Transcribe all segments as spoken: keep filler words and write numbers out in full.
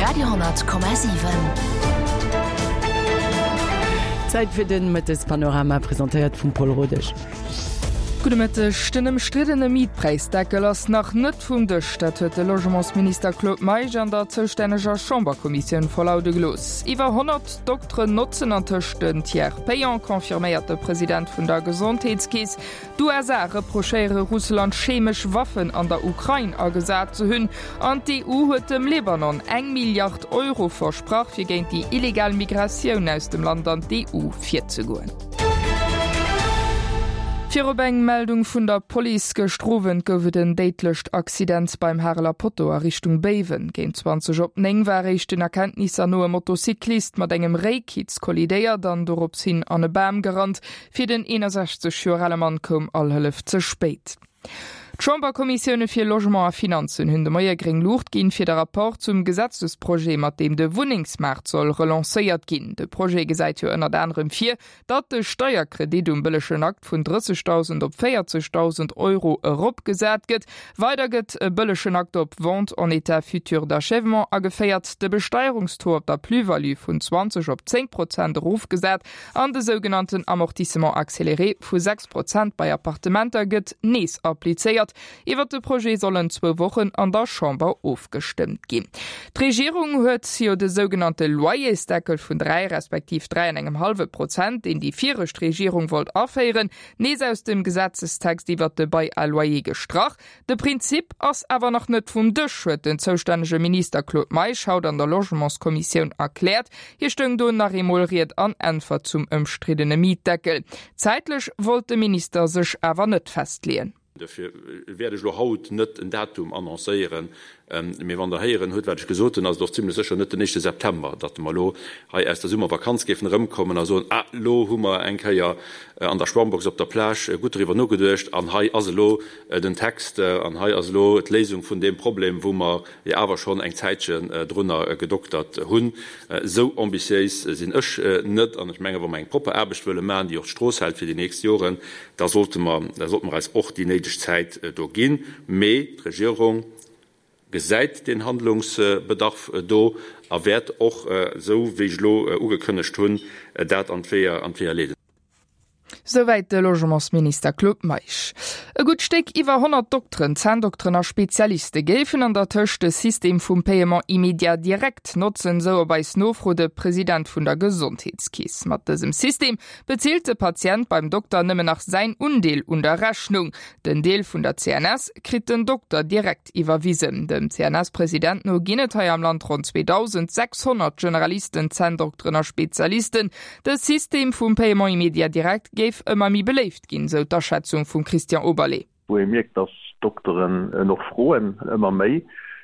Radio honnert Komma siwen. Zäit fir den Mëttespanorama, presentéiert vum Paul Rodesch. Gudde Mëtteg. Den ëmstriddene Mietpräisdeckel ass nach net vum Dësch. Dat huet de Logementsminister Claude Meisch an der zoustänneger Chamberkommissioun verlaude gelooss. Iwwer honnert Dokteren notzen antëscht den Tiers payant, confirméiert de President vun der Gesondheetskeess. D'U S A reprochéiere Russland, chemesch Waffen an der Ukrain agesat ze hunn. An d'E U huet dem Libanon eng Milliard Euro versprach, fir géint déi illegal Migratioun aus dem Land an d'E U virzegoen. Virop eng Meldung vun der Police. Gëschter Owend gouf et en déidlecht Accident beim Hareler Potto a Richtung Béiwen. Géint zwanzeg op néng war éischten Erkenntnisser no e Motocyclist mat engem Réikitz kollidéiert an dorops hin an e Bam gerannt. Fir den eenundsechzeg Joer ale Mann koum all Hëllef ze spéit. D'Chamberkommissioune fir Logement a Finanzen hunn de Moie gréng Luucht ginn fir de Rapport zum Gesetzesprojet, mat deem de Wunnengsmaart soll relancéiert ginn. De Projet gesäit jo ënnert anerem vir, datt de Steierkredit um bëllegen Akt vun drëssegdausend op véierzegdausend Euro eropgesat gëtt. Weider gëtt e bëllegen Akt op Vente en état futur d'achèvement ageféiert, de Besteierungstaux op der Plus-value vun zwanzeg op zéng Prozent erofgesat an de sougenannten Amortissement accéléré vu sechs Prozent bei Appartementer gëtt nees applizéiert. Iwwer de Projet sollen zwou Wochen an der Chamber ofgestëmmt ginn. D'Regierung huet jo de sougenannte Loyersdeckel vun dräi respektiv dräi an engem halwe Prozent, deen déi viregt Regierung wollt aféieren, nees aus dem Gesetzestext iwwer de Bail à loyer gestrach. De Prinzip ass awer nach net vum Dësch, huet den zoustännege Minister Claude Meisch haut an der Logementskommissioun erkläert. Hie stoung do nach eemol Ried an Äntwert zum ëmstriddene Mietdeckel. Zäitlech wollt de Minister sech awer net festleeën. Dofir wäert ech lo haut net en Datum annoncéieren, mee wann der héieren huet, wat ech gesot hunn, ass et och zimmlech sécher net den éischte September, datt mer lo hei aus der Summervakanz géifen erëmkommen a soen, ah, lo hu mer eng Kéier an der Schwammbox op der Plage gutt doriwwer nogeduecht an hei ass elo den Text an hei ass elo d'Léisung vun deem Problem, wou mer jo awer schonn eng Zäitchen drunner gedoktert hunn. Esou ambitiéis sinn ech net an ech menge, wa mer eng propper Aarbecht wëlle maachen, déi och d'Strooss hält fir déi nächst Joren, da sollte mer, da sollte mer eis och déi néideg Zäit do ginn. Mee d'Regierung gesäit den Handlungsbedarf do a wäert och, esou wéi ech elo ugekënnegt hunn, dat an d'Weeër, an d'Weeër leeden. Souwäit de Logementsminister Claude Meisch. E gutt Stéck iwwer honnert Dokteren, Zänndokteren a Spezialiste géifen an der Tëscht de System vum Paiement immédiat direct notzen, sou op eis Nofro de President vun der Gesondheetskeess. Mat dësem System bezilt de Patient beim Dokter nëmmen nach säin Undeel un der Rechnung. Den Deel vun der C N S kritt den Dokter direkt iwwerwisen. Dem C N S-President no ginn et hei am Land rund zweetausendsechshonnert Generalisten, Zänndokteren a Spezialisten. De System vum Paiement immédiat direct géif ëmmer méi beléift ginn, sou d'Aschätzung vum Christian Oberlé. Wou ee mierkt, dass Dokteren noch froen ëmmer méi,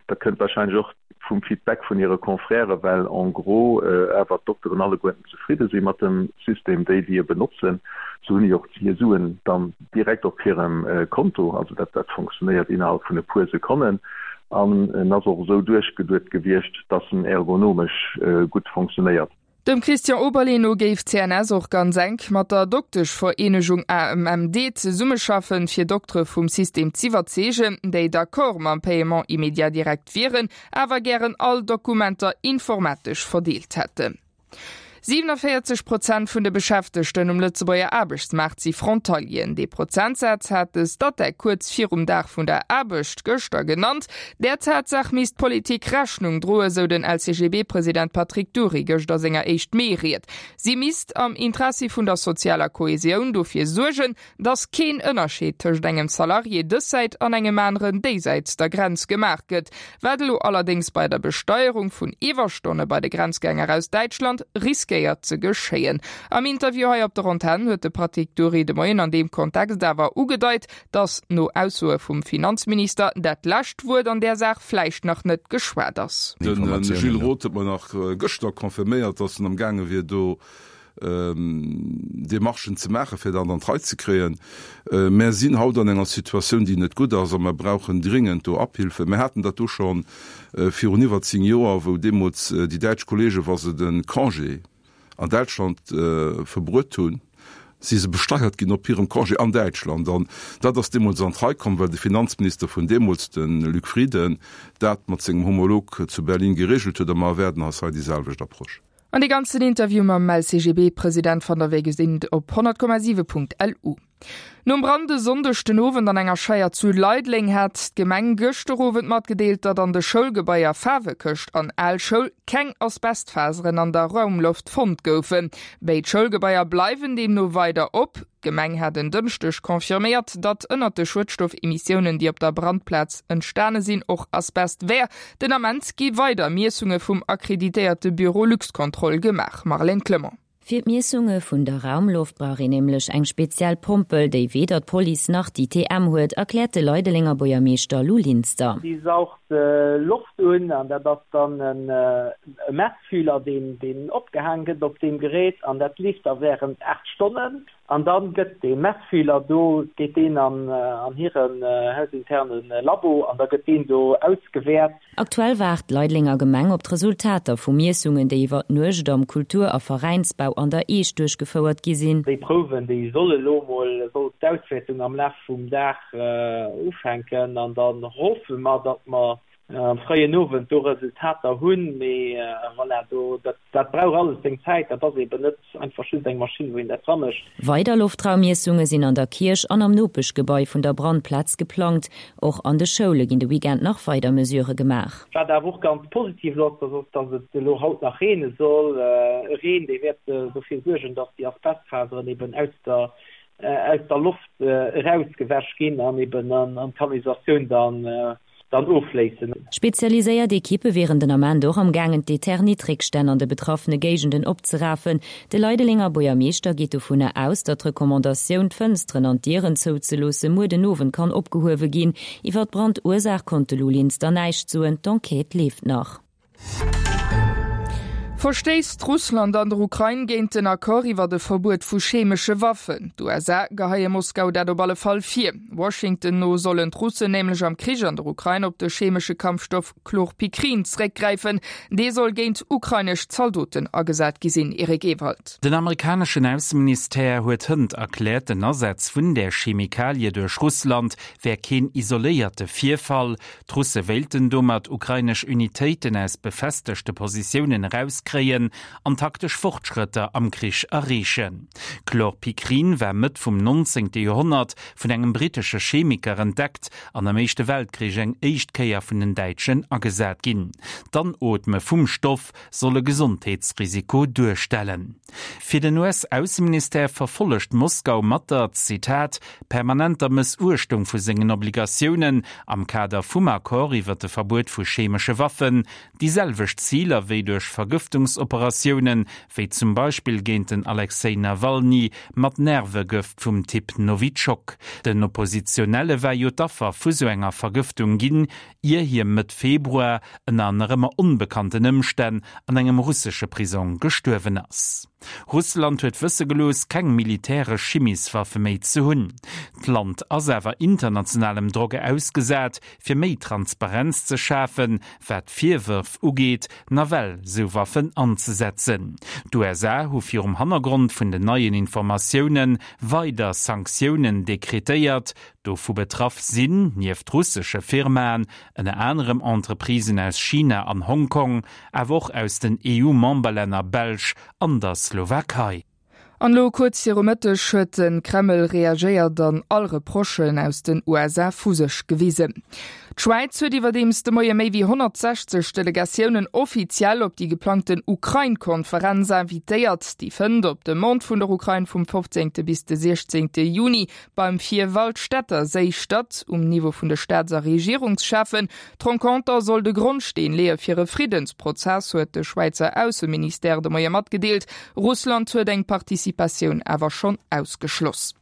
dat kënnt wahrscheinlech och vum Feedback vun hire Confrères, well en gros awer d'Dokteren alleguerten zefridde si mat dem System, déi déi e benotzen, so hunn déi och hir Suen dann direkt op hirem Konto, also dat, dat funktionéiert innerhalb vun e puer Sekonnen an en ass och esou duerchgeduet gewiescht, dass en ergonomesch gutt funktionéiert. Dem Christian Oberlé no géif C N S och ganz enk mat der Dokteschvereenegung A M M D zesummeschaffen, fir Doktere vum System z'iwwerzeegen, déi d'accord mam Paiement immédiat direct wieren, awer gären all Dokumenter informatesch verdeelt hätten. siebenundvierzig Prozent vun de Beschäftegten um Lëtzebuerger Aarbechtsmaart si Frontalieren. Dee Prozentsaz hat de Statec kuerz virum Dag vun der Aarbecht gëschter genannt. Der Tatsaach misst d'Politik Rechnung droen, sou den L C G B-President Patrick Dury gëschter senger éischt Mee-Ried. Si misst am Interessi vun der sozialer Kohäsioun dofir suergen, dass keen Ënnerscheed tëscht engem Salarié dëssäit an engem aneren déisäits der Grenz gemaach gëtt. Wat elo allerdings bei der Besteierung vun Iwwerstonne bei de Grenzgänger aus Däitschland riskéiert ze geschéien. Am Interview hei op der Antenn huet de Patrick Dury de Moien an dem Kontext awer ugedeit, dass no Aussoe vum Finanzminister dat lescht Wuert an der Saach vläicht nach net geschwat ass. Den Gilles Roth huet mer nach gëschter confirméiert, dass en am Gaange wier do Demarchen ze maachen, fir dat an d'Rei ze kréien. Mir sinn haut an enger Situatioun, déi net gutt ass, a mir brauchen dringend do Abhilfe. Mir haten dat do schon virun iwwer zéng Joer, wou deemools déi däitsch Kollege, wa se den Congé an Deutschland verbruet hunn, si se besteiert ginn op hirem Congé an Däitschland. An dat ass deemools an d'Rei komm, well de Finanzminister vun deemools, de Luc Frieden, dat mat sengem Homolog zu Berlin geregelt huet. A mer erwaarden eis hei déi selwecht Approche. An dee ganzen Interview mam L C G B-President fannt der wéi gesinn op honnert Komma siwe Punkt L U. Nom Brand e Sonndeg den Owend an enger Scheier zu Leideleng hat d'Gemeng gëschter Owend matgedeelt, datt an de Schoulgebaier Faarwekëscht an Al Schoul keng Asbestfaseren an der Raumloft fonnt goufen. Béid Schoulgebaier bleiwen deemno weider op. D'Gemeng hat en Dënschdeg confirméiert, datt ënnert de Schuedstoffemissiounen, déi op der Brandplaz entstane sinn, och Asbest wär. Den Ament gi weider Miessunge vum akkreditéierte Büro Luxcontrol gemaach. Marlène Clement. Fir d'Miessunge vun der Raumloft brauch een nämlech eng speziell Pompel, déi weder d'Police nach d'I T M huet, erkläert de Leidelenger Buergermeeschter Lou Linster. Déi saugt Loft un an dat ass dann e Messfühler, deen deen opgehaang gëtt op deem Gerät an dat leeft da während aacht Stonnen an dann gëtt dee Messfühler do, geet deen an an hiren hausinterne Labo an da gëtt deen do ausgewäert. Aktuell waart d'Leidelenger Gemeng op d'Resultater vu Miessungen, déi iwwer d'Nuecht am Kultur a Veräinsbau an der Eech duerchgefouert gi sinn. Déi Prouwen, déi solle lo mol, soll d'Auswäertung am Laf vum Dag ufänken an dann hoffe mer, datt mer am fréien Owend do Resultater hunn, mee voilà, do, dat, dat brauch alles seng Zäit, dat ass eben net einfach just eng Maschinn, wou een dat dramécht. Weider Loftraummiessunge sinn an der Kierch an am Nopeschgebai vun der Brandplaz geplangt. Och an de Schoule ginn de Weekend nach weider Mesurë gemaach. Wat awer och ganz positiv ass, dat ass, dass et elo haut nach reene soll. E Reen, dee wäert dofir suergen, dass déi Asbestfaseren eben aus der, aus der Loft erausgewäsch ginn an eben an d'Kanalisatioun dann dann offléissen. Spezialiséiert Ekippe wieren den Ament och am gaangen d'Eternit-Réckstänn an de betraffene Géigenden opzerafen. De Leidelenger Buergermeeschter geet dovunner aus, datt d'Recommandatioun, d'Fënsteren an d'Dieren zouzeloosse muer den Owend kann opgehuewe ginn. Iwwer d'Brandursaach konnt de Lou Linster näischt soen, d'Enquête leeft nach. Verstéisst Russland an der Ukrain géint den Accord iwwer de Verbuet vu chemesche Waffen? D'U S A geheie Moskau dat op alle Fall vir. Washington no sollen d'Russen nämlech am Krich an der Ukrain op de chemesche Kampfstoff Chlorpikrin zréckgräifen. Dee soll géint ukrainesch Zaldoten agesat gi sinn. Eric Ewald. Den amerikaneschen Ausseministère huet hënt erkläert, den Asaz vun der Chemikalie duerch Russland wär keen isoléierte Virfall. D'Russe wéilten domat ukrainesch Unitéiten aus befestegte Positiounen erauskréien an taktesch Fortschrëtter am Krich erreechen. Chlorpikrin war Mëtt vum neunzehnten. Joerhonnert vun engem brittesche Chemiker entdeckt an am Éischte Weltkrich eng éischt Kéier vun den Däitschen agesat ginn. D'Anootme vum Stoff soll e Gesondheetsrisiko duerstellen. Fir den U S-Ausseministère verfollegt Moskau mat der, Zitat, permanenter Mëssuechtung vu sengen Obligatiounen am Kader vum Accord iwwer de Verbuet vu chemesche Waffen déi selwecht Ziler wéi duerch Vergëftungsoperatiounen, wéi zum Beispill géint den Alexei Nawalny mat Nervegëft vum Typ Nowitschok. Den Oppositionelle war jo d'Affer vu sou enger Vergëftung ginn, ier hie Mëtt Februar ënner nach ëmmer onbekannten Ëmstänn an engem russesche Prisong gestuerwen ass. Russland huet wësse gelooss, keng militäresch Chimieswaffe méi ze hunn. D'Land ass awer internationalem Drock ausgesat, fir méi Transparenz ze schafen, wat d'Virwërf ugeet, nawell sou Waffen anzesetzen. D'U S A hu virum Hannergrond vun den neien Informatioune weider Sanktiounen dekretéiert, dovu betraff sinn, nieft russesche Firmaen, ënner anerem Entreprisen aus China an Hongkong, awer och aus den E U-Memberlänner Belsch an der Slowakei. An lo kuerz viru Mëtteg huet de Kreml reagéiert an all Reprochen aus den U S A vu sech gewisen. D'Schwäiz huet iwwerdeems de Moie méi wéi honnertsechzeg Delegatiounen offiziell op déi geplangten Ukrain-Konferenz invitéiert. Déi fënnt op Demande vun der Ukrain vum fofzéngte bis de siechzéngte Juni beim Vierwaldstätterséi statt, um Niveau vun de Staats a Regierungscheffen. D'Renconter soll de Grondsteen leeë fir e Friddensprozess, huet de Schwäizer Ausseministère de Moie matgedeelt. Russland huet eng Participatioun awer schonn ausgeschloss.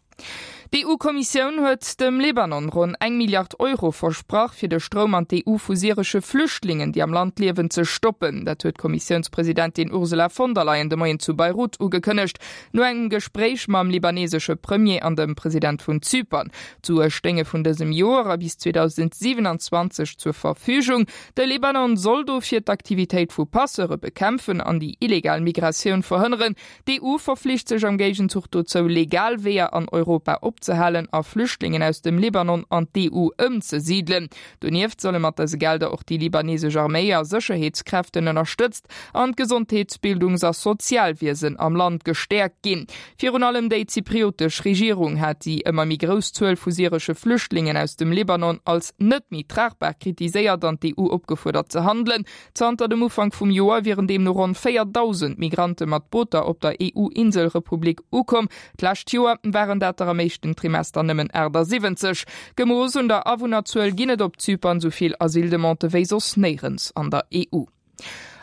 D'EU-Kommissioun huet dem Libanon ronn eng Milliard Euro versprach, fir de Stroum an d'EU vu syresche Flüchtlingen, déi am Land liewen, ze stoppen. Dat huet d'Kommissiounspresidentin Ursula von der Leyen de Moien zu Beirut ugekënnegt, no engem Gespréich mam libanesesche Premier an dem President vun Zypern. D'Sue stéinge vun dësem Joer a bis zweedausendsiwenanzwanzeg zur Verfügung. De Libanon soll dofir d'Aktivitéit vu Passeure bekämpfen an déi illegal Migratioun verhënneren. D'EU verflicht sech am Géigenzuch dozou, legal Weeër an Europa opzehalen a Flüchtlingen aus dem Libanon an d'EU ëmzesidelen. Donieft solle mat dëse Gelder och déi libanesesch Arméi a Sécherheetskräften ënnerstëtzt an d'Gesondheets-, Bildungs a Sozialwiesen am Land gestäerkt ginn. Virun allem déi zypriotesch Regierung hat déi ëmmer méi grouss Zuel vu syresche Flüchtlingen aus dem Libanon als net méi tragbar kritiséiert an d'EU opgefuerdert ze handelen. Zanter dem Ufank vum Joer wieren deemno ronn véierdausend Migrante mat Booter op der EU-Inselrepublik ukomm. D'lescht Joer waren dat der am éischten Trimester nëmmen achtasiwwenzeg. Gemooss un der Awunnerzuel ginn et op Zypern esou vill Asyldemandë wéi soss néierens an der E U.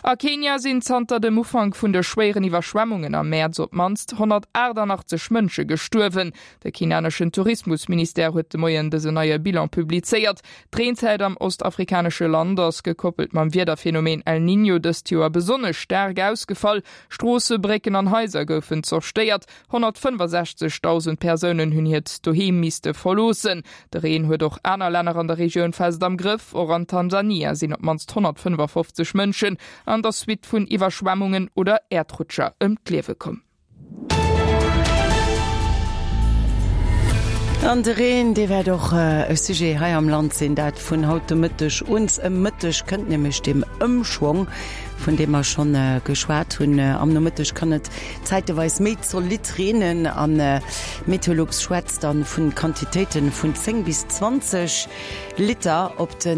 A Kenia sinn zanter dem Ufank vun de schwéieren Iwwerschwemmungen am Mäerz op d'mannst honnertachtannachtzeg Mënsche gestuerwen. De kenianeschen Tourismusministère huet de Moien dësen neie Bilan publizéiert. D'Reenzäit am ostafrikanesche Land ass, gekoppelt mam Wiederphenomen El Niño, dëst Joer besonnesch staark ausgefall. Stroosse, Brécken an Haiser goufen zerstéiert. Honnertfënnefasechzegdausend Persounen hunn hiert Doheem misste verloossen. De Reen huet och aner Länner an der Regioun fest am Grëff. Och an Tansania sinn op d'mannst honnertfënnefafofzeg Mënschen an der Suite vun Iwwerschwemmungen oder Äerdrutscher ëm d'Liewe komm. An de Reen, dee wäert och e Sujet hei am Land sinn, dat vun haut de Mëtteg un. Ëm Mëtteg kënnt nämlech deem Ëmschwong, vun deem mer schonn geschwat hunn. Am Nomëtteg kann et zäiteweis méi zolidd reenen an Meteolux schwätzt dann vun Quantitéite vun zéng bis zwanzeg Liter op de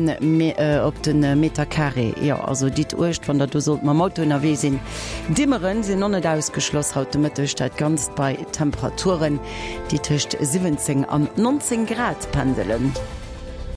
op de Meter Carré. Jo, also ditt uecht, wann der do sollt mam Auto ënnerwee sinn. Dimmeren sinn och net ausgeschloss haut de Mëtteg, dat Ganzt bei Temperaturen, déi tëscht siwwenzéng an nonzéng Grad pendelen.